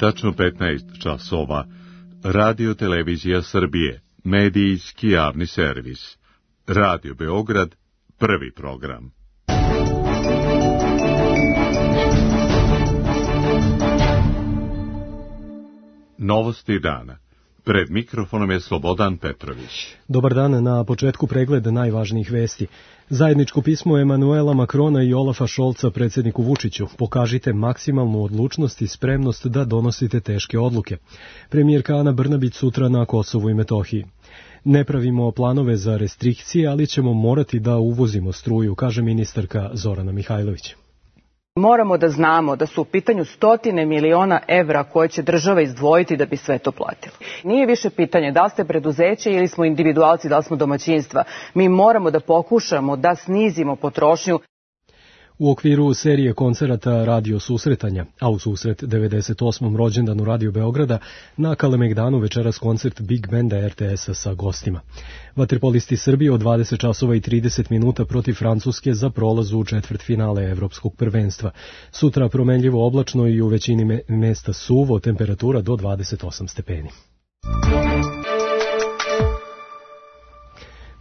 tačno 15 časova, Radio Televizija Srbije, medijski javni servis. Radio Beograd, prvi program. Novosti dana. Pred mikrofonom je Slobodan Petrović. Dobar dan, na početku pregled najvažnijih vesti. Zajedničko pismo Emanuela Makrona i Olafa Šolca predsjedniku Vučiću. Pokažite maksimalnu odlučnost i spremnost da donosite teške odluke. Premijerka Ana Brnabić sutra na Kosovu i Metohiji. Ne pravimo planove za restrikcije, ali ćemo morati da uvozimo struju, kaže ministarka Zorana Mihajlović. Moramo da znamo da su u pitanju stotine miliona evra koje će država izdvojiti da bi sve to platili. Nije više pitanje da li ste preduzeće ili smo individualci, da li smo domaćinstva. Mi moramo da pokušamo da snizimo potrošnju. U okviru serije koncerata Radio Susretanja, a u susret 98. rođendanu Radio Beograda, na Kalemegdanu večeras koncert Big Banda RTS-a sa gostima. Vaterpolisti Srbije od 20 časova i 30 minuta protiv Francuske za prolaz u četvrtfinale Evropskog prvenstva. Sutra promenljivo oblačno i u većini mesta suvo, temperatura do 28 stepeni.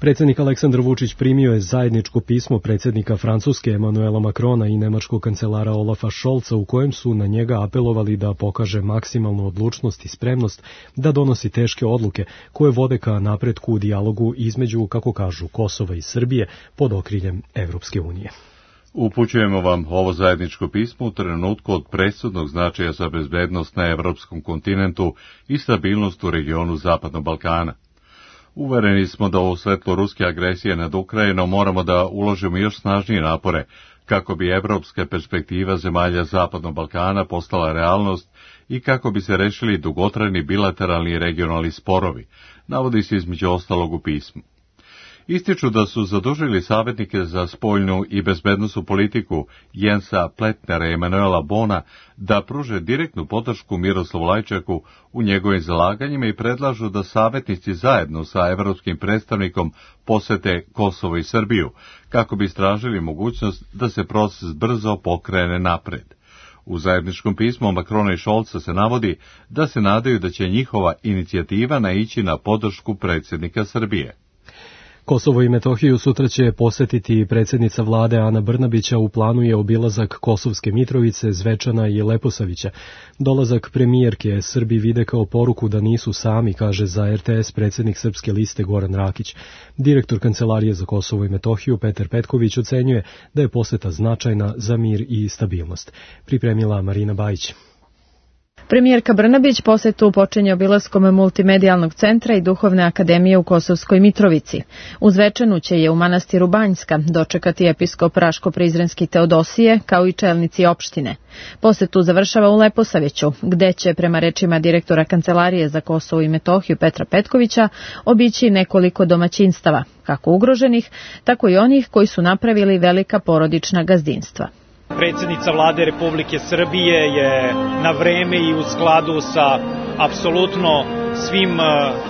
Predsjednik Aleksandar Vučić primio je zajedničko pismo predsjednika Francuske Emanuela Makrona i nemačkog kancelara Olafa Šolca u kojem su na njega apelovali da pokaže maksimalnu odlučnost i spremnost da donosi teške odluke koje vode ka napretku u dijalogu između, kako kažu, Kosova i Srbije pod okriljem Evropske unije. Upućujemo vam ovo zajedničko pismo u trenutku od presudnog značaja za bezbednost na evropskom kontinentu i stabilnost u regionu Zapadnog Balkana. Uvereni smo da u svetlu ruske agresije nad Ukrajinom moramo da uložimo još snažnije napore kako bi evropska perspektiva zemalja Zapadnog Balkana postala realnost i kako bi se rešili dugotrajni bilateralni i regionalni sporovi, navodi se između ostalog u pismu. Ističu da su zadužili savjetnike za spoljnu i bezbednosnu politiku Jensa Pletnera i Emanuela Bona da pruže direktnu podršku Miroslavu Lajčaku u njegovim zalaganjima i predlažu da savjetnici zajedno sa evropskim predstavnikom posete Kosovo i Srbiju, kako bi istražili mogućnost da se proces brzo pokrene napred. U zajedničkom pismu Makrona i Šolca se navodi da se nadaju da će njihova inicijativa naići na podršku predsjednika Srbije. Kosovo i Metohiju sutra će posetiti predsjednica vlade Ana Brnabića, u planu je obilazak Kosovske Mitrovice, Zvečana i Leposavića. Dolazak premijerke Srbi vide kao poruku da nisu sami, kaže za RTS predsjednik Srpske liste Goran Rakić. Direktor Kancelarije za Kosovo i Metohiju Petar Petković ocenjuje da je poseta značajna za mir i stabilnost. Pripremila Marina Bajić. Premijerka Brnabić posetu počinje obilaskom multimedijalnog centra i duhovne akademije u Kosovskoj Mitrovici. U Zvečanu će je u manastiru Banjska dočekati episkop Raško-Prizrenski Teodosije, kao i čelnici opštine. Posetu završava u Leposaviću, gde će, prema rečima direktora Kancelarije za Kosovo i Metohiju Petra Petkovića, obići nekoliko domaćinstava, kako ugroženih, tako i onih koji su napravili velika porodična gazdinstva. Predsjednica vlade Republike Srbije je na vreme i u skladu sa apsolutno svim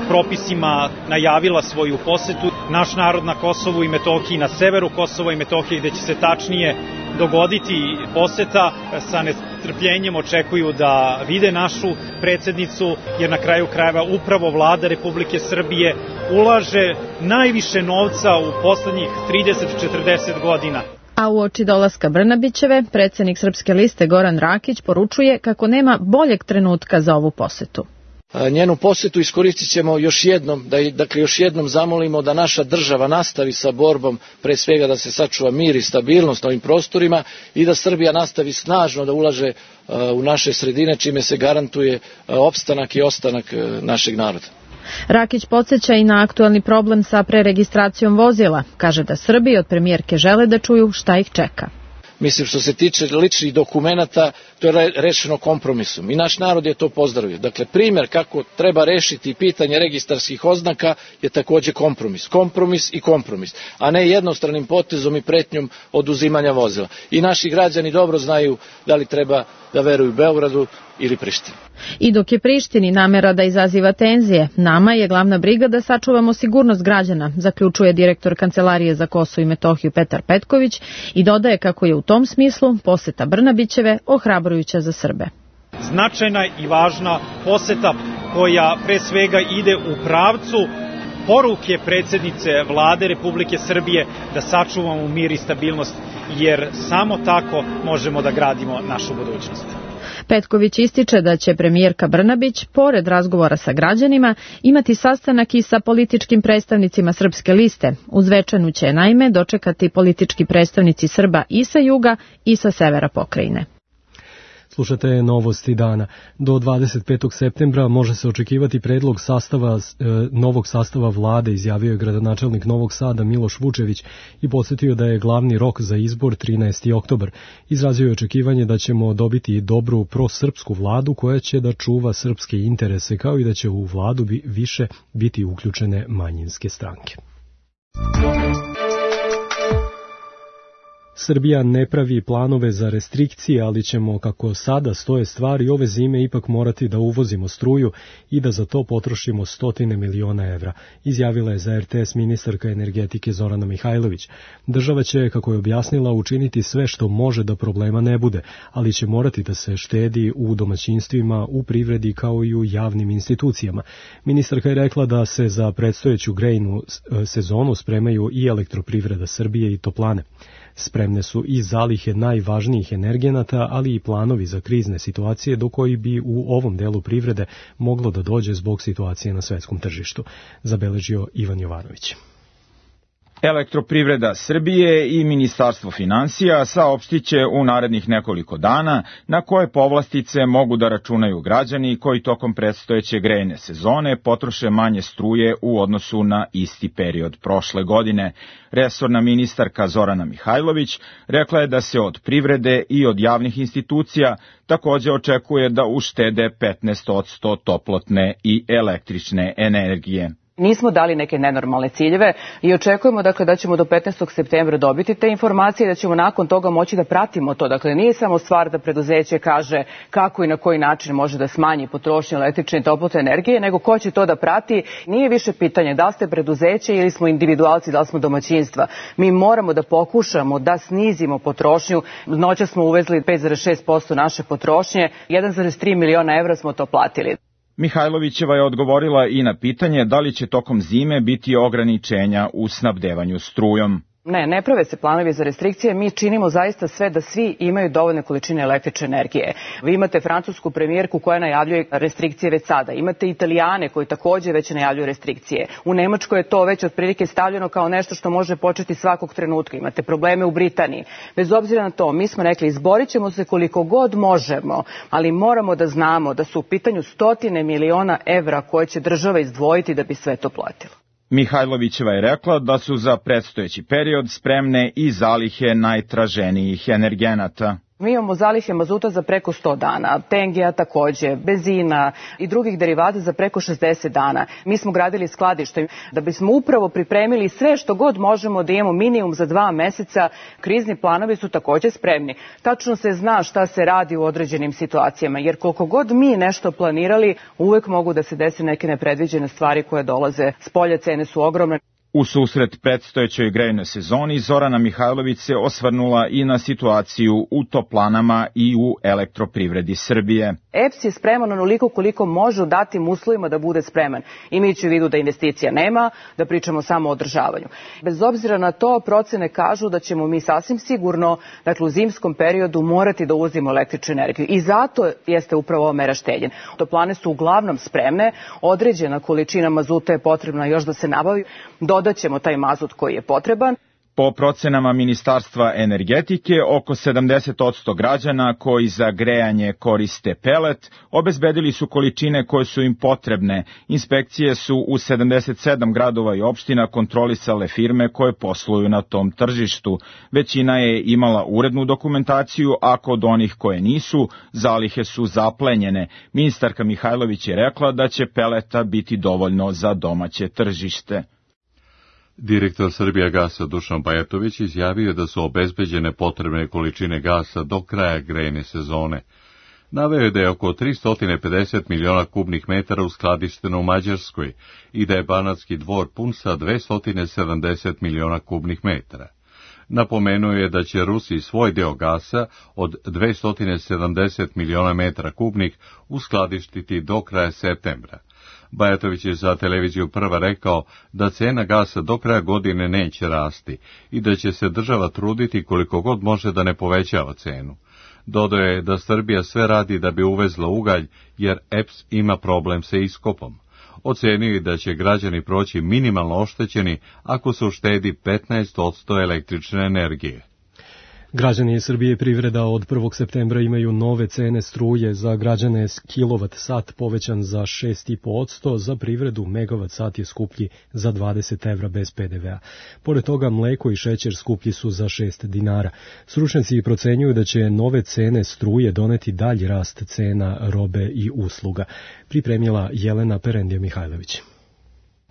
propisima najavila svoju posetu. Naš narod na Kosovu i Metohiji, na severu Kosova i Metohije, gde će se tačnije dogoditi poseta, sa nestrpljenjem očekuju da vide našu predsjednicu, jer na kraju krajeva upravo vlada Republike Srbije ulaže najviše novca u poslednjih 30-40 godina. A uoči dolaska Brnabićeve, predsjednik Srpske liste Goran Rakić poručuje kako nema boljeg trenutka za ovu posetu. Njenu posetu iskoristit ćemo još jednom, još jednom zamolimo da naša država nastavi sa borbom, pre svega da se sačuva mir i stabilnost na ovim prostorima i da Srbija nastavi snažno da ulaže u naše sredine, čime se garantuje opstanak i ostanak našeg naroda. Rakić podsjeća i na aktualni problem sa preregistracijom vozila. Kaže da Srbi od premijerke žele da čuju šta ih čeka. Mislim, što se tiče ličnih dokumenata, to je rešeno kompromisom i naš narod je to pozdravio. Dakle, primjer kako treba rešiti pitanje registarskih oznaka je također kompromis. Kompromis i kompromis, a ne jednostranim potezom i pretnjom oduzimanja vozila. I naši građani dobro znaju da li treba da veruju Beogradu ili Prištini. I dok je Prištini namera da izaziva tenzije, nama je glavna briga da sačuvamo sigurnost građana, zaključuje direktor Kancelarije za Kosovo i Metohiju Petar Petković i dodaje kako je u tom smislu poseta Brnabićeve ohrabrujuća za Srbe. značajna i važna poseta koja pre svega ide u pravcu poruke predsjednice Vlade Republike Srbije da sačuvamo mir i stabilnost, jer samo tako možemo da gradimo našu budućnost. Petković ističe da će premijerka Brnabić, pored razgovora sa građanima, imati sastanak i sa političkim predstavnicima Srpske liste. U Zvečanu će naime dočekati politički predstavnici Srba i sa juga i sa severa pokrajine. Slušate novosti dana. Do 25. septembra može se očekivati predlog novog sastava vlade, izjavio je gradonačelnik Novog Sada Miloš Vučević i podsjetio da je glavni rok za izbor 13. oktobar. Izrazio je očekivanje da ćemo dobiti dobru prosrpsku vladu koja će da čuva srpske interese, kao i da će u vladu više biti uključene manjinske stranke. Srbija ne pravi planove za restrikcije, ali ćemo, kako sada stoje stvari, ove zime ipak morati da uvozimo struju i da za to potrošimo 100 miliona evra, izjavila je za RTS ministarka energetike Zorana Mihajlović. Država će, kako je objasnila, učiniti sve što može da problema ne bude, ali će morati da se štedi u domaćinstvima, u privredi kao i u javnim institucijama. Ministarka je rekla da se za predstojeću grejnu sezonu spremaju i Elektroprivreda Srbije i toplane. Spremne su i zalihe najvažnijih energenata, ali i planovi za krizne situacije do koji bi u ovom delu privrede moglo da dođe zbog situacije na svetskom tržištu, zabeležio Ivan Jovanović. Elektroprivreda Srbije i Ministarstvo finansija saopštiće u narednih nekoliko dana na koje povlastice mogu da računaju građani koji tokom predstojeće grejne sezone potroše manje struje u odnosu na isti period prošle godine. Resorna ministarka Zorana Mihajlović rekla je da se od privrede i od javnih institucija takođe očekuje da uštede 15% toplotne i električne energije. Nismo dali neke nenormalne ciljeve i očekujemo da ćemo do 15. septembra dobiti te informacije i da ćemo nakon toga moći da pratimo to. Dakle, nije samo stvar da preduzeće kaže kako i na koji način može da smanji potrošnju električne i toplotne energije, nego ko će to da prati. Nije više pitanje da li ste preduzeće ili smo individualci, da li smo domaćinstva. Mi moramo da pokušamo da snizimo potrošnju. Noćas smo uvezli 5,6% naše potrošnje, 1,3 miliona evra smo to platili. Mihajlovićeva je odgovorila i na pitanje da li će tokom zime biti ograničenja u snabdevanju strujom. Ne prave se planovi za restrikcije, mi činimo zaista sve da svi imaju dovoljne količine električne energije. Vi imate francusku premijerku koja najavljuje restrikcije već sada, imate Italijane koji takođe već najavljuju restrikcije. U Nemačkoj je to već otprilike stavljeno kao nešto što može početi svakog trenutka. Imate probleme u Britaniji. Bez obzira na to, mi smo rekli izborit ćemo se koliko god možemo, ali moramo da znamo da su u pitanju 100 miliona evra koje će država izdvojiti da bi sve to platila. Mihajlovićeva je rekla da su za predstojeći period spremne i zalihe najtraženijih energenata. Mi imamo zalihe mazuta za preko 100 dana, tengija takođe, benzina i drugih derivata za preko 60 dana. Mi smo gradili skladište da bismo upravo pripremili sve što god možemo da imamo minimum za 2 meseca. Krizni planovi su takođe spremni. Tačno se zna šta se radi u određenim situacijama, jer koliko god mi nešto planirali, uvek mogu da se desi neke nepredviđene stvari koje dolaze s polja, cene su ogromne. U susret predstojećoj grejnoj sezoni Zorana Mihajlović se osvrnula i na situaciju u toplanama i u Elektroprivredi Srbije. EPS je spreman onoliko koliko može u datim uslovima da bude spreman. Imajući u vidu da investicija nema, da pričamo samo o održavanju. Bez obzira na to, procene kažu da ćemo mi sasvim sigurno, dakle u zimskom periodu, morati da uvozimo električnu energiju. I zato jeste upravo ova mera štednje. Toplane su uglavnom spremne, određena količina mazuta je potrebna još da se nabavi. Dodaćemo taj mazut koji je potreban. Po procenama Ministarstva energetike, oko 70% građana koji za grejanje koriste pelet obezbedili su količine koje su im potrebne. Inspekcije su u 77 gradova i opština kontrolisale firme koje posluju na tom tržištu. Većina je imala urednu dokumentaciju, a kod onih koje nisu, zalihe su zaplenjene. Ministarka Mihajlović je rekla da će peleta biti dovoljno za domaće tržište. Direktor Srbijagasa Dušan Bajatović izjavio da su obezbeđene potrebne količine gasa do kraja grejne sezone. Naveo je da je oko 350 miliona kubnih metara uskladišteno u Mađarskoj i da je Banatski Dvor pun sa 270 miliona kubnih metara. Napomenuo je da će Rusi svoj deo gasa od 270 miliona metara kubnih uskladištiti do kraja septembra. Bajatović je za televiziju Prva rekao da cena gasa do kraja godine neće rasti i da će se država truditi koliko god može da ne povećava cenu. Dodao je da Srbija sve radi da bi uvezla ugalj, jer EPS ima problem sa iskopom. Ocenio je da će građani proći minimalno oštećeni ako se uštedi 15% električne energije. Građani Srbije i privreda od 1. septembra imaju nove cene struje. Za građane kilovat sat povećan za 6,5%, za privredu megavat sat je skuplji za 20 evra bez PDV-a. Pored toga mleko i šećer skuplji su za 6 dinara. Stručnjaci procenjuju da će nove cene struje doneti dalji rast cena robe i usluga. Pripremila Jelena Perendija-Mihajlović.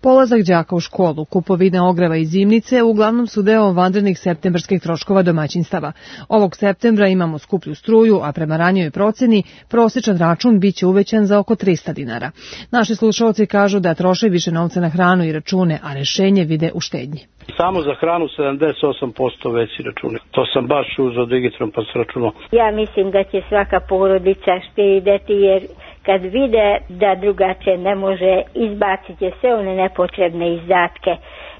Polazak đaka u školu, kupovina ogreva i zimnice uglavnom su deo vanrednih septembarskih troškova domaćinstava. Ovog septembra imamo skuplju struju, a prema ranijoj proceni prosječan račun biće uvećan za oko 300 dinara. Naši slušalci kažu da troše više novca na hranu i račune, a rešenje vide u štednji. Samo za hranu 78% veći račune. To sam baš uzeo digitron pa s računom. Ja mislim da će svaka porodica štedeti jer kad vide da drugačije ne može, izbacit će sve one nepotrebne izdatke.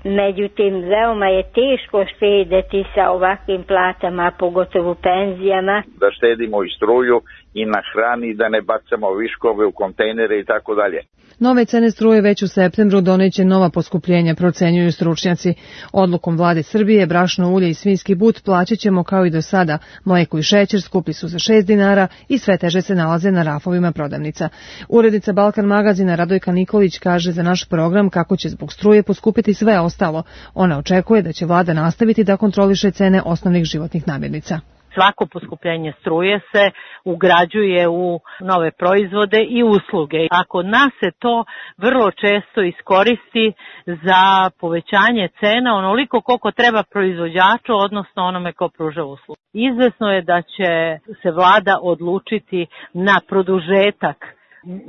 Međutim, veoma je teško štedeti sa ovakvim platama, pogotovo penzijama. Da štedimo i struju i na hrani, da ne bacamo viškove u kontejnere i tako dalje. Nove cene struje već u septembru doneće nova poskupljenja, procenjuju stručnjaci. Odlukom vlade Srbije brašno, ulje i svinjski but plaćat ćemo kao i do sada. Mleko i šećer skuplji su za 6 dinara i sve teže se nalaze na rafovima prodavnica. Urednica Balkan magazina Radojka Nikolić kaže za naš program kako će zbog struje poskupiti sve ostalo. Ona očekuje da će vlada nastaviti da kontroliše cene osnovnih životnih namirnica. Svako poskupljenje struje se ugrađuje u nove proizvode i usluge. A kod nas se to vrlo često iskoristi za povećanje cena onoliko koliko treba proizvođaču, odnosno onome ko pruža uslugu. Izvesno je da će se vlada odlučiti na produžetak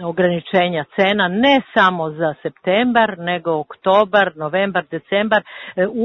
ograničenja cena ne samo za septembar, nego oktobar, novembar, decembar,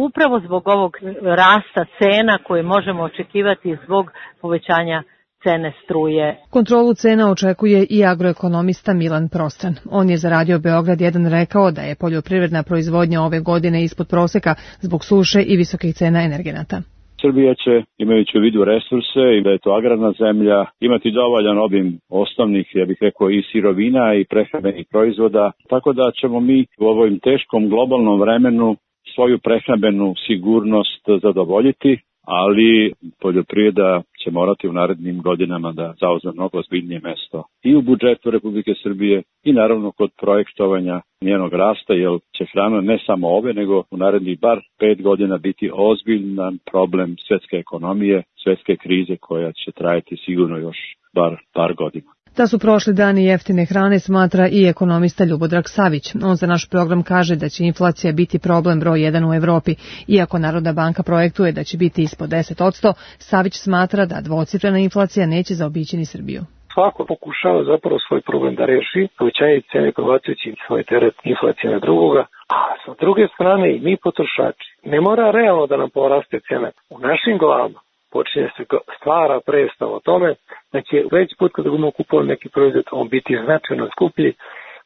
upravo zbog ovog rasta cena koje možemo očekivati zbog povećanja cene struje. Kontrolu cena očekuje i agroekonomista Milan Prostran. On je za Radio Beograd 1 rekao da je poljoprivredna proizvodnja ove godine ispod proseka zbog suše i visokih cena energenata. Srbija će, imajući u vidu resurse i da je to agrarna zemlja, imati dovoljan obim osnovnih, ja bih rekao, i sirovina i prehrambenih proizvoda, tako da ćemo mi u ovom teškom globalnom vremenu svoju prehrambenu sigurnost zadovoljiti, ali poljoprivreda će morati u narednim godinama da zauzme mnogo ozbiljnije mesto i u budžetu Republike Srbije i naravno kod projektovanja njenog rasta, jer će hrana ne samo ove, nego u narednih bar 5 godina biti ozbiljan problem svetske ekonomije, svetske krize koja će trajati sigurno još bar par godina. Da su prošli dani jeftine hrane smatra i ekonomista Ljubodrag Savić. On za naš program kaže da će inflacija biti problem broj 1 u Evropi. Iako Narodna banka projektuje da će biti ispod 10%, Savić smatra da dvocifrena inflacija neće zaobići ni Srbiju. Svako pokušava zapravo svoj problem da reši, povećanje cene prebacujući svoj teret inflacije na drugoga, a sa druge strane i mi potrošači. Ne mora realno da nam poraste cena. U našim glavama počinje se stvara predstav o tome da će već put kada budemo kupovali neki proizvod on biti značajno skuplji,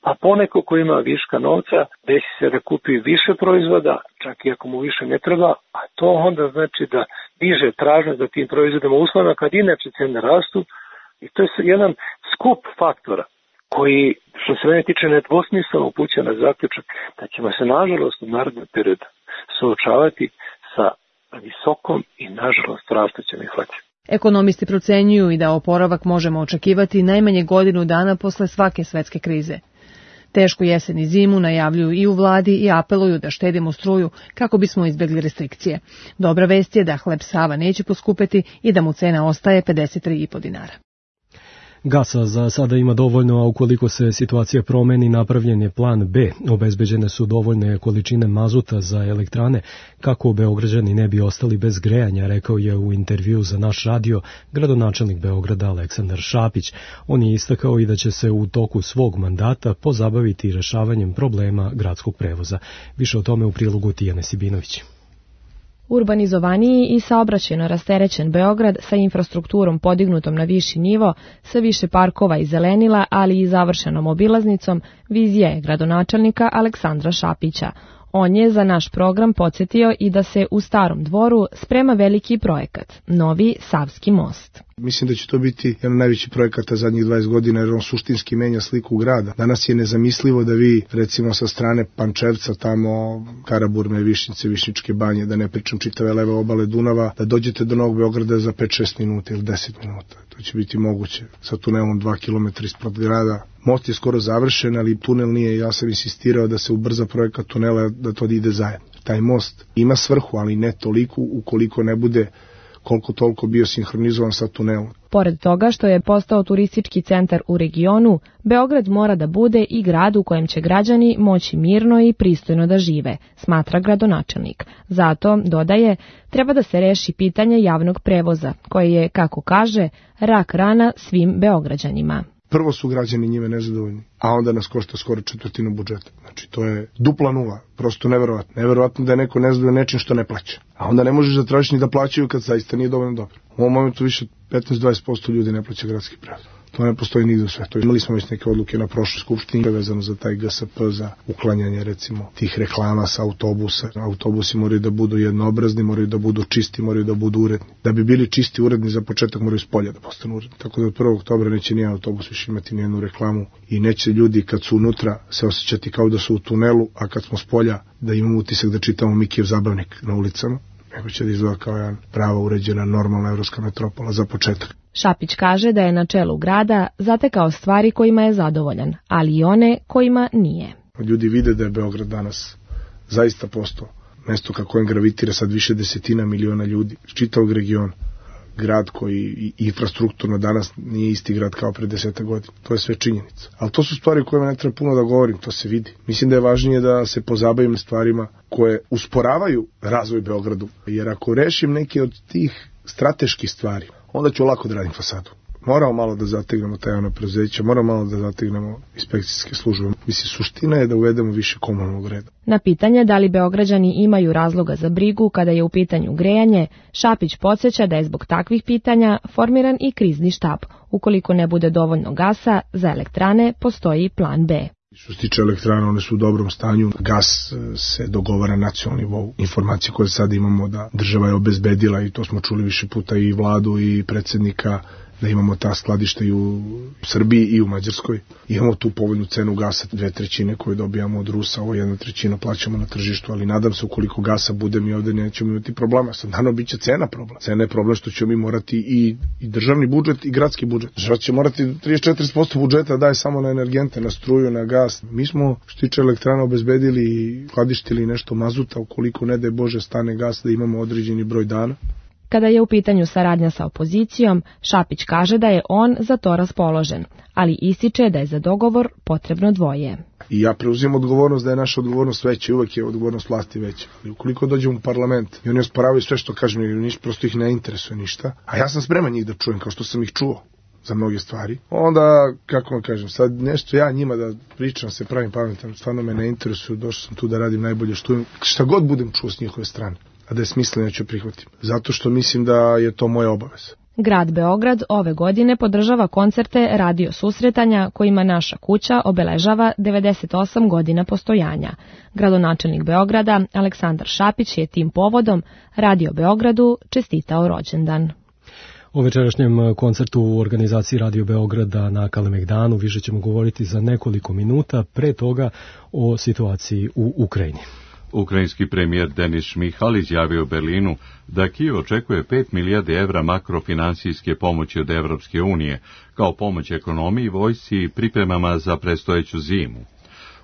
a poneko ko ima viška novca desi se da kupi više proizvoda, čak i ako mu više ne treba, a to onda znači da diže tražnju za tim proizvodima uslovima kad inače cene rastu i to je jedan skup faktora koji, što se mene tiče, nedvosmisleno upućuje na zaključak da ćemo se nažalost u narednom periodu suočavati sa visokom i nažalost rastućom inflacijom. Ekonomisti procenjuju i da oporavak možemo očekivati najmanje godinu dana posle svake svetske krize. Tešku jesen i zimu najavljuju i u vladi i apeluju da štedimo struju kako bismo izbjegli restrikcije. Dobra vest je da hleb Sava neće poskupeti i da mu cena ostaje 53,5 dinara. Gasa za sada ima dovoljno, a ukoliko se situacija promeni, napravljen je plan B. Obezbeđene su dovoljne količine mazuta za elektrane kako Beograđani ne bi ostali bez grejanja, rekao je u intervju za naš radio gradonačelnik Beograda Aleksandar Šapić. On je istakao i da će se u toku svog mandata pozabaviti rešavanjem problema gradskog prevoza. Više o tome u prilogu Tijane Sibinović. Urbanizovaniji i saobraćajno rasterećen Beograd sa infrastrukturom podignutom na viši nivo, sa više parkova i zelenila, ali i završenom obilaznicom, vizija je gradonačelnika Aleksandra Šapića. On je za naš program podsjetio i da se u Starom Dvoru sprema veliki projekat, novi Savski most. Mislim da će to biti jedan najveći projekata zadnjih 20 godina jer on suštinski menja sliku grada. Danas je nezamislivo da vi, recimo sa strane Pančevca, tamo Karaburme, Višnjice, Višnjičke banje, da ne pričam čitave leve obale Dunava, da dođete do Novog Beograda za 5-6 minuta ili 10 minuta. To će biti moguće sa tunelom 2 km ispod grada. Most je skoro završen, ali tunel nije. Ja sam insistirao da se ubrza projekat tunela, da to ide zajedno. Taj most ima svrhu, ali ne toliko ukoliko ne bude koliko toliko bio sinhronizovan sa tunelom. Pored toga što je postao turistički centar u regionu, Beograd mora da bude i grad u kojem će građani moći mirno i pristojno da žive, smatra gradonačelnik. Zato, dodaje, treba da se reši pitanje javnog prevoza, koje je, kako kaže, rak rana svim Beograđanima. Prvo su građani njime nezadovoljni, a onda nas košta skoro četvrtinu budžeta. Znači, to je dupla nula, prosto neverovatno. Neverovatno da je neko nezadovoljan nečim što ne plaća. A onda ne možeš da tražiš ni da plaćaju kad zaista nije dovoljno dobro. U ovom momentu više 15-20% ljudi ne plaća gradski prevoz. To ne postoji nigde u svetu. Imali smo već neke odluke na prošloj skupštini vezano za taj GSP, za uklanjanje recimo tih reklama sa autobusa. Autobusi moraju da budu jednoobrazni, moraju da budu čisti, moraju da budu uredni. Da bi bili čisti i uredni za početak moraju s polja da postanu uredni. Tako da od 1. oktobra neće nijedan autobus više imati nijednu reklamu i neće ljudi kad su unutra se osjećati kao da su u tunelu, a kad smo s polja da imamo utisak da čitamo Mikijev zabavnik na ulicama. Nego će da izgleda kao jedan prava uređena normalna evropska metropola za početak. Šapić kaže da je na čelu grada zatekao stvari kojima je zadovoljan, ali i one kojima nije. Ljudi vide da je Beograd danas zaista postao mesto ka kojem gravitira sad više desetina miliona ljudi iz čitavog regiona. Grad koji infrastrukturno danas nije isti grad kao pre 10 godina. To je sve činjenica. Ali to su stvari o kojima ne treba puno da govorim, to se vidi. Mislim da je važnije da se pozabavim stvarima koje usporavaju razvoj Beogradu. Jer ako rešim neke od tih strateških stvari, onda ću lako da radim fasadu. Moramo malo da zategnemo ta javna preduzeća, moramo malo da zategnemo inspekcijske službe. Mislim, suština je da uvedemo više komunalnog reda. Na pitanje da li Beograđani imaju razloga za brigu kada je u pitanju grejanje, Šapić podsjeća da je zbog takvih pitanja formiran i krizni štab. Ukoliko ne bude dovoljno gasa, za elektrane postoji plan B. Što se tiče elektrana, one su u dobrom stanju. Gas se dogovara na nacionalnom nivou. Informacije koje sad imamo da država je obezbedila, i to smo čuli više puta i vladu i predsjednika, da imamo ta skladišta i u Srbiji i u Mađarskoj. Imamo tu povoljnu cenu gasa, 2/3 koju dobijamo od Rusa, ovo 1/3 plaćamo na tržištu, ali nadam se ukoliko gasa bude mi ovde nećemo imati problema. Sad naravno bit će cena problem. Cena je problem što ćemo mi morati i državni budžet i gradski budžet. Država će morati 34% budžeta daje samo na energente, na struju, na gas. Mi smo što tiče elektrana obezbedili i skladištili nešto mazuta, ukoliko ne daj Bože stane gas da imamo određeni broj dana. Kada je u pitanju saradnja sa opozicijom, Šapić kaže da je on za to raspoložen, ali ističe da je za dogovor potrebno dvoje. I ja preuzimam odgovornost da je naša odgovornost veća i uvek je odgovornost vlasti veća. I ukoliko dođemo u parlament i oni osporavaju sve što kažem, jer prosto ih ne interesuje ništa, a ja sam spreman njih da čujem kao što sam ih čuo za mnoge stvari, onda, kako vam kažem, sad nešto ja njima da pričam, se pravim pametan, stvarno me ne interesuje, došao sam tu da radim najbolje što im, šta god budem čuo s njihove strane, a da je smisleno ću prihvatim, zato što mislim da je to moja obaveza. Grad Beograd ove godine podržava koncerte radio susretanja kojima Naša kuća obeležava 98 godina postojanja. Gradonačelnik Beograda Aleksandar Šapić je tim povodom Radio Beogradu čestitao rođendan. O večerašnjem koncertu u organizaciji Radio Beograda na Kalemegdanu više ćemo govoriti za nekoliko minuta, pre toga o situaciji u Ukrajini. Ukrajinski premijer Denis Šmihal izjavio u Berlinu da Kijev očekuje 5 milijardi evra makrofinansijske pomoći od Evropske unije, kao pomoć ekonomiji, vojsci i pripremama za predstojeću zimu.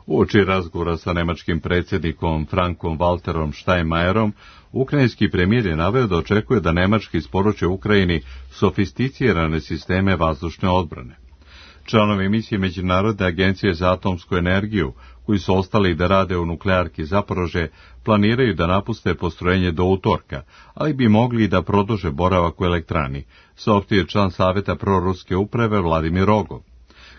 Uoči razgovora sa nemačkim predsjednikom Frankom Walterom Steinmeierom, ukrajinski premijer je naveo da očekuje da Nemačka isporuče Ukrajini sofisticirane sisteme vazdušne odbrane. Članovi misije Međunarodne agencije za atomsku energiju, koji su ostali da rade u nuklearki Zaporožje, planiraju da napuste postrojenje do utorka, ali bi mogli da produže boravak u elektrani, saopštio član saveta proruske uprave Vladimir Rogov.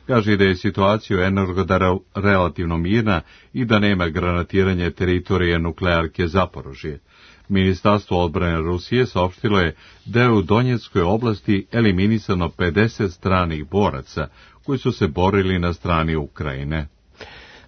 Kaže da je situacija u Energodaru relativno mirna i da nema granatiranja teritorije nuklearke Zaporožje. Ministarstvo odbrane Rusije saopštilo je da je u Donjeckoj oblasti eliminisano 50 stranih boraca koji su se borili na strani Ukrajine.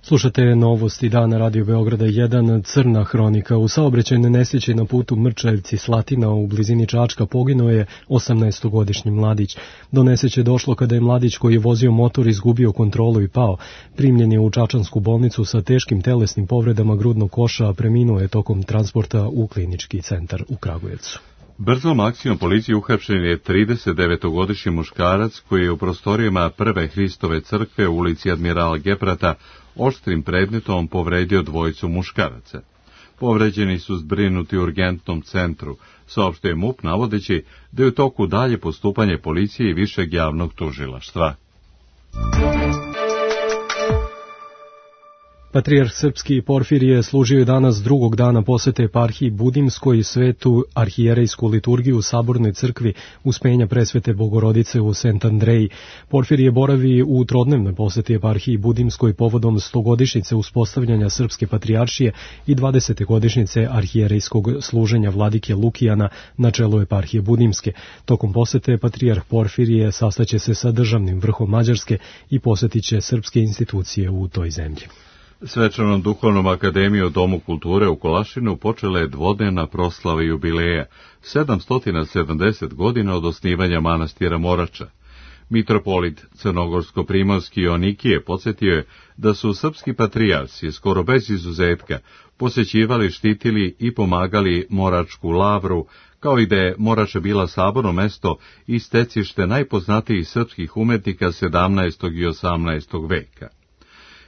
Slušate novosti dana Radio Beograda 1, crna hronika. U saobraćajnoj nesreći na putu Mrčajevci-Slatina u blizini Čačka poginuo je 18-godišnji mladić. Do nesreće došlo kada je mladić koji je vozio motor izgubio kontrolu i pao. Primljen je u čačansku bolnicu sa teškim telesnim povredama grudnog koša, a preminuo je tokom transporta u klinički centar u Kragujevcu. Brzom akcijom policije uhapšen je 39-godišnji muškarac koji je u prostorijama Prve Hristove crkve u ulici Admirala Geprata oštrim predmetom povredio dvojicu muškaraca. Povređeni su zbrinuti u urgentnom centru, saopštio je MUP navodeći da je u toku dalje postupanje policije i višeg javnog tužilaštva. Patrijarh srpski Porfirije služio je danas drugog dana posete eparhiji Budimskoj svetu arhijerejsku liturgiju u Sabornoj crkvi Uspenja Presvete Bogorodice u Sent Andreji. Porfirije boravi u trodnevnoj poseti eparhiji Budimskoj povodom 100-godišnjice uspostavljanja srpske patrijaršije i 20. godišnjice arhijerejskog služenja vladike Lukijana na čelu eparhije Budimske. Tokom posete patrijarh Porfirije sastaće se sa državnim vrhom Mađarske i posetiće srpske institucije u toj zemlji. Svečanom duhovnom akademijom u Domu kulture u Kolašinu počela je dvodnevna proslava jubileja, 770 godina od osnivanja manastira Morača. Mitropolit Crnogorsko-Primorski Joanikije podsjetio je da su srpski patrijarsi skoro bez izuzetka posećivali, štitili i pomagali Moračku lavru, kao i da je Morača bila saborno mesto i stecište najpoznatijih srpskih umetnika 17. i 18. veka.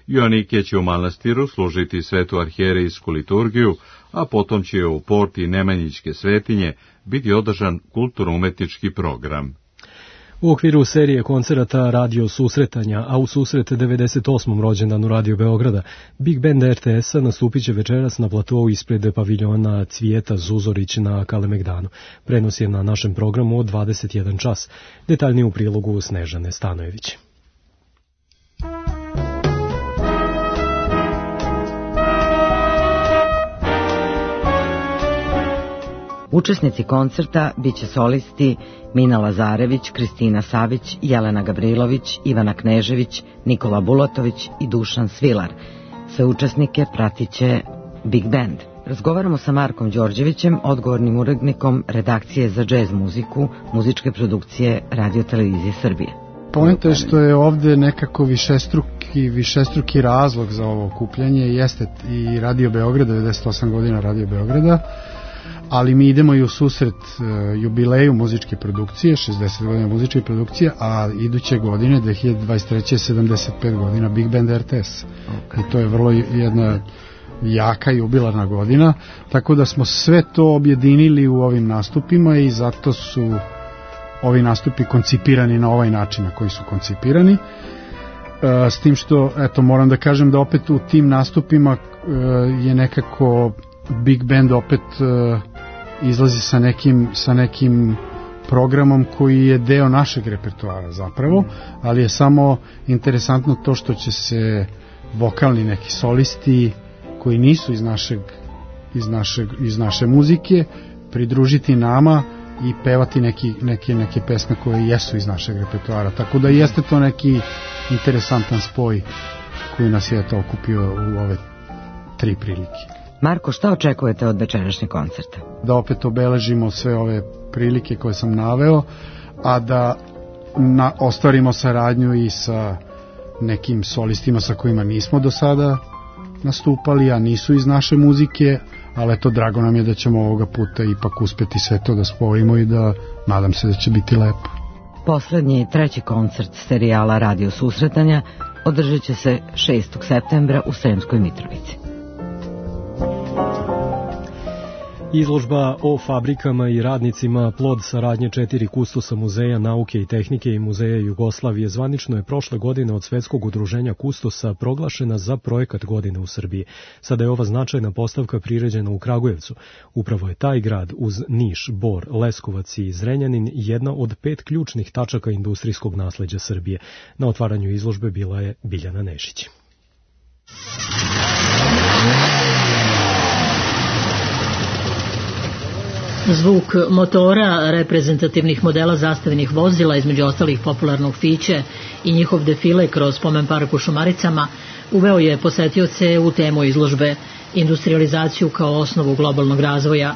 Joanikije će u manastiru služiti svetu arhijerejsku liturgiju, a potom će u porti Nemanjićke svetinje biti održan kulturno-umetnički program. U okviru serije koncerata Radio Susretanja, a u susret 98. rođendanu Radio Beograda, Big Band RTS-a nastupit će večeras na platou ispred paviljona Cvijeta Zuzorić na Kalemegdanu. Prenos je na našem programu od 21 čas. Detaljnije u prilogu Snežane Stanojević. Učesnici koncerta biće solisti Mina Lazarević, Kristina Savić, Jelena Gavrilović, Ivana Knežević, Nikola Bulatović i Dušan Svilar. Sve učesnike pratiće Big Band. Razgovaramo sa Markom Đorđevićem, odgovornim urednikom redakcije za džez muziku, muzičke produkcije Radio Televizije Srbije. Poenta je što je ovde nekako višestruki razlog za ovo okupljanje, jeste i Radio Beograda, 98 godina Radio Beograda, ali mi idemo i u susret jubileju muzičke produkcije, 60 godina muzičke produkcije, a iduće godine, 2023. 75 godina Big Band RTS. I to je vrlo jedna jaka jubilarna godina, tako da smo sve to objedinili u ovim nastupima i zato su ovi nastupi koncipirani na ovaj način na koji su koncipirani. S tim što, eto, moram da kažem da opet u tim nastupima je nekako Big Band opet izlazi sa nekim programom koji je deo našeg repertoara zapravo, ali je samo interesantno to što će se vokalni neki solisti koji nisu iz naše muzike pridružiti nama i pevati neke pesme koje jesu iz našeg repertoara. Tako da jeste to neki interesantan spoj koji nas je to okupio u ove 3 prilike. Marko, šta očekujete od večerašnjeg koncerta? Da opet obeležimo sve ove prilike koje sam naveo, a da ostvarimo saradnju i sa nekim solistima sa kojima nismo do sada nastupali, a nisu iz naše muzike, ali eto, drago nam je da ćemo ovoga puta ipak uspeti sve to da spojimo i da nadam se da će biti lepo. Poslednji 3. koncert serijala Radio Susretanja održat će se 6. septembra u Sremskoj Mitrovici. Izložba o fabrikama i radnicima, plod saradnje 4 kustosa Muzeja nauke i tehnike i Muzeja Jugoslavije, zvanično je prošle godine od Svetskog udruženja kustosa proglašena za projekat godine u Srbiji. Sada je ova značajna postavka priređena u Kragujevcu. Upravo je taj grad uz Niš, Bor, Leskovac i Zrenjanin jedna od 5 ključnih tačaka industrijskog nasleđa Srbije. Na otvaranju izložbe bila je Biljana Nešić. Zvuk motora reprezentativnih modela zastavenih vozila, između ostalih popularnog Fiće i njihov defile kroz Spomen park u Šumaricama, uveo je posetioce u temu izložbe industrializaciju kao osnovu globalnog razvoja.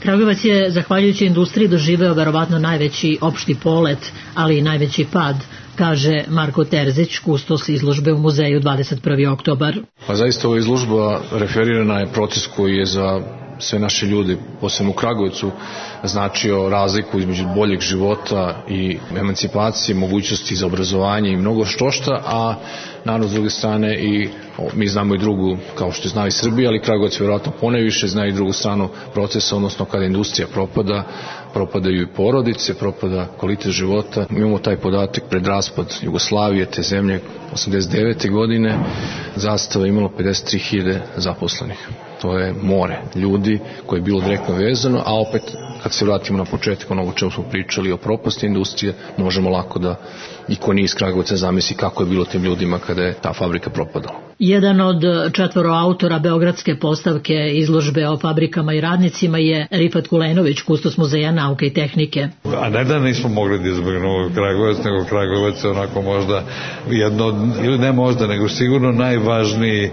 Kragujevac je, zahvaljujući industriji, doživeo verovatno najveći opšti polet, ali i najveći pad, kaže Marko Terzić, kustos izložbe u muzeju 21. oktobar. Pa zaista ova izložba referirana je proces koji je za sve naše ljude, posebno u Kragujevcu, značio razliku između boljeg života i emancipacije, mogućnosti za obrazovanje i mnogo štošta, a naravno s druge strane i mi znamo i drugu, kao što zna i Srbija, ali Kragujevac vjerojatno poneviše zna i drugu stranu procesa, odnosno kada industrija propada, propadaju i porodice, propada kvalitet života. Mi imamo taj podatak pred raspad Jugoslavije, te zemlje, 89. godine, Zastava imalo 53.000 zaposlenih. To je more ljudi koje je bilo direktno vezano, a opet kad se vratimo na početak onoga o čemu smo pričali o propasti industrije, možemo lako da i ko nije iz Kragujevca zamisli kako je bilo tim ljudima kada je ta fabrika propadala. Jedan od 4 autora beogradske postavke izložbe o fabrikama i radnicima je Rifat Kulenović, kustos Muzeja nauke i tehnike. A ne da nismo mogli da izbjegnemo Kragujevac, nego Kragujevac je onako možda jedno, ili ne možda, nego sigurno najvažniji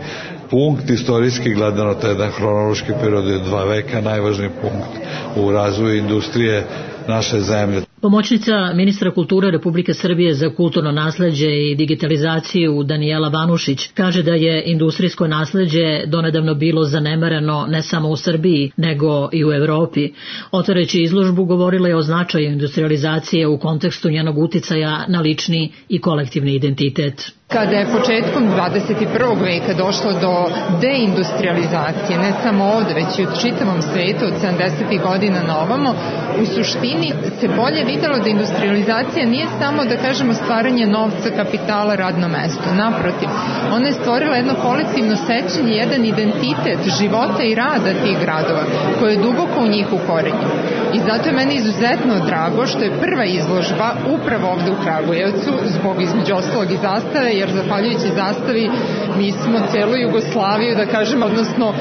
punkt istorijski gledano, to je jedan hronološki period od 2 veka, najvažniji punkt u razvoju industrije naše zemlje. Pomoćnica ministra kulture Republike Srbije za kulturno nasleđe i digitalizaciju Danijela Vanušić kaže da je industrijsko nasleđe donedavno bilo zanemareno ne samo u Srbiji, nego i u Evropi. Otvoreći izložbu govorila je o značaju industrializacije u kontekstu njenog uticaja na lični i kolektivni identitet. Kada je početkom 21. veka došlo do deindustrializacije, ne samo ovde, već i u čitavom svetu od 70. godina na ovamo, u suštini se bolje videlo da industrializacija nije samo, da kažemo, stvaranje novca, kapitala, radno mesto. Naprotiv, ona je stvorila jedno kolektivno sećanje, jedan identitet života i rada tih gradova, koje je duboko u njih ukorenjen. I zato je meni izuzetno drago što je prva izložba upravo ovde u Kragujevcu, zbog između ostalog i zastave, jer zahvaljujući zastavi mi smo celu Jugoslaviju, da kažem, odnosno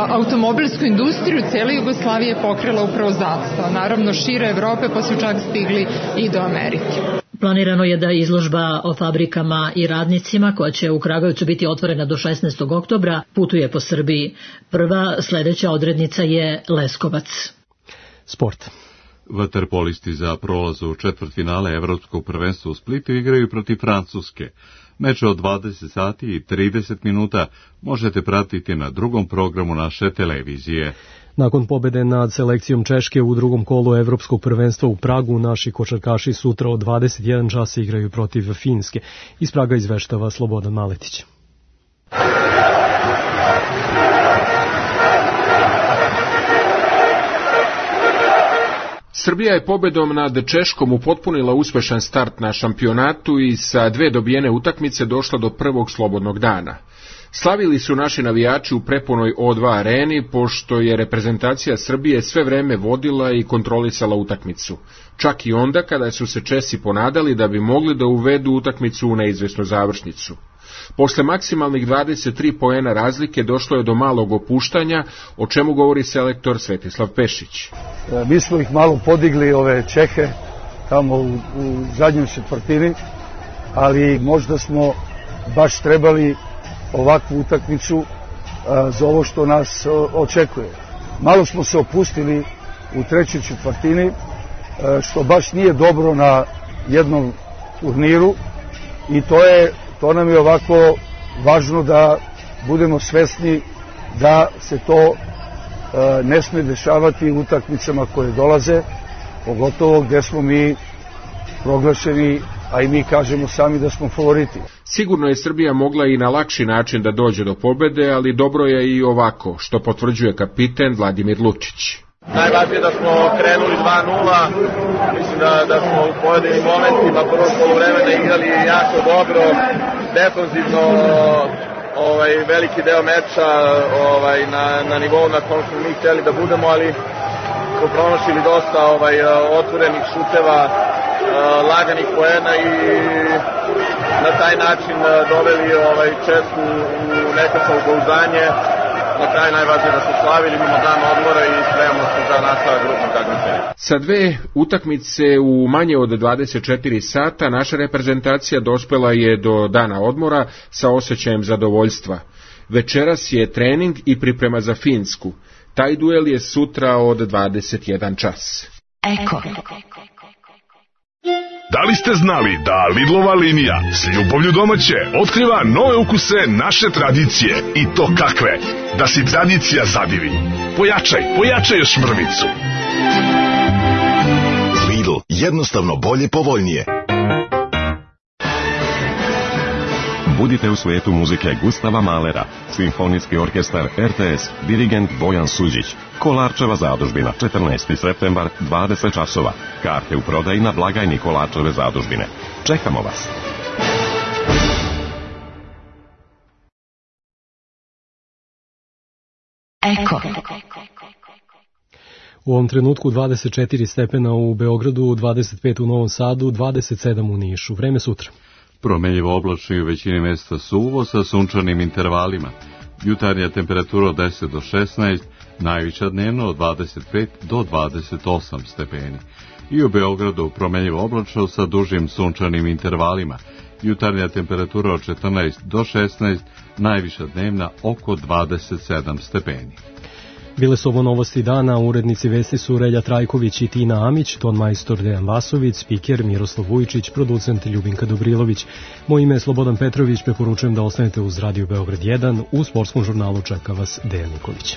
automobilsku industriju cele Jugoslavije pokrila upravo zastava. Naravno šire Evrope, pa su čak stigli i do Amerike. Planirano je da izložba o fabrikama i radnicima, koja će u Kragujevcu biti otvorena do 16. oktobra, putuje po Srbiji. Prva sledeća odrednica je Leskovac. Sport. Vaterpolisti za prolaz u četvrtfinale Evropskog prvenstva u Splitu igraju protiv Francuske. Meč od 20 sati i 30 minuta možete pratiti na drugom programu naše televizije. Nakon pobede nad selekcijom Češke u drugom kolu Evropskog prvenstva u Pragu, naši košarkaši sutra od 21 časa igraju protiv Finske. Iz Praga izveštava Slobodan Maletić. Srbija je pobedom nad Češkom upotpunila uspešan start na šampionatu i sa 2 dobijene utakmice došla do prvog slobodnog dana. Slavili su naši navijači u prepunoj O2 areni, pošto je reprezentacija Srbije sve vreme vodila i kontrolisala utakmicu. Čak i onda kada su se Česi ponadali da bi mogli da uvedu utakmicu u neizvesnu završnicu. Posle maksimalnih 23 poena razlike došlo je do malog opuštanja, o čemu govori selektor Svetislav Pešić. Mi smo ih malo podigli, ove Čehe, tamo u zadnjoj četvrtini, ali možda smo baš trebali ovakvu utakmicu za ovo što nas očekuje. Malo smo se opustili u trećoj četvrtini, što baš nije dobro na jednom turniru i to nam je ovako važno da budemo svesni da se to ne sme dešavati u utakmicama koje dolaze, pogotovo gde smo mi proglašeni, a i mi kažemo sami da smo favoriti. Sigurno je Srbija mogla i na lakši način da dođe do pobede, ali dobro je i ovako, što potvrđuje kapiten Vladimir Lučić. Najvažnije da smo krenuli 2-0, mislim da smo u pojedinim momentima prvog poluvremena igrali jako dobro, defanzivno veliki deo meča na nivou na kojem smo mi htjeli da budemo, ali smo promašili dosta otvorenih šuteva, laganih poena i na taj način doveli Česku u neko samopouzdanje na kraju najvažnije da smo slavili mimo dana odmora i spremamo se za nastavak grupnog takmičenja. Sa 2 utakmice u manje od 24 sata naša reprezentacija dospela je do dana odmora sa osjećajem zadovoljstva. Večeras je trening i priprema za Finsku. Taj duel je sutra od 21 čas. Eko. Da li ste znali da Lidlova linija s ljubavlju domaće otkriva nove ukuse naše tradicije i to kakve? Da si tradicija zadivi. Pojačaj još mrvicu. Lidl, jednostavno bolje, povoljnije. Budite u svijetu muzike Gustava Mahlera, Simfonijski orkestar RTS, dirigent Bojan Suđić. Kolarčeva zadužbina, 14. septembar, 20 časova. Karte u prodaji na blagajni Kolarčeve zadužbine. Čekamo vas! Eko. U ovom trenutku 24 stepena u Beogradu, 25 u Novom Sadu, 27 u Nišu. Vreme sutra. Promenljivo oblačno i u većini mjesta suvo sa sunčanim intervalima. Jutarnja temperatura od 10 do 16, najviša dnevno od 25 do 28 stepeni. I u Beogradu promenljivo oblačno sa dužim sunčanim intervalima. Jutarnja temperatura od 14 do 16, najviša dnevna oko 27 stepeni. Bile su ovo novosti dana, urednici vesti su Relja Trajković i Tina Amić, ton majstor Dejan Vasović, spiker Miroslav Vujičić, producent Ljubinka Dobrilović. Moje ime je Slobodan Petrović, preporučujem da ostanete uz Radio Beograd 1, u sportskom žurnalu čeka vas Dejan Nikolić.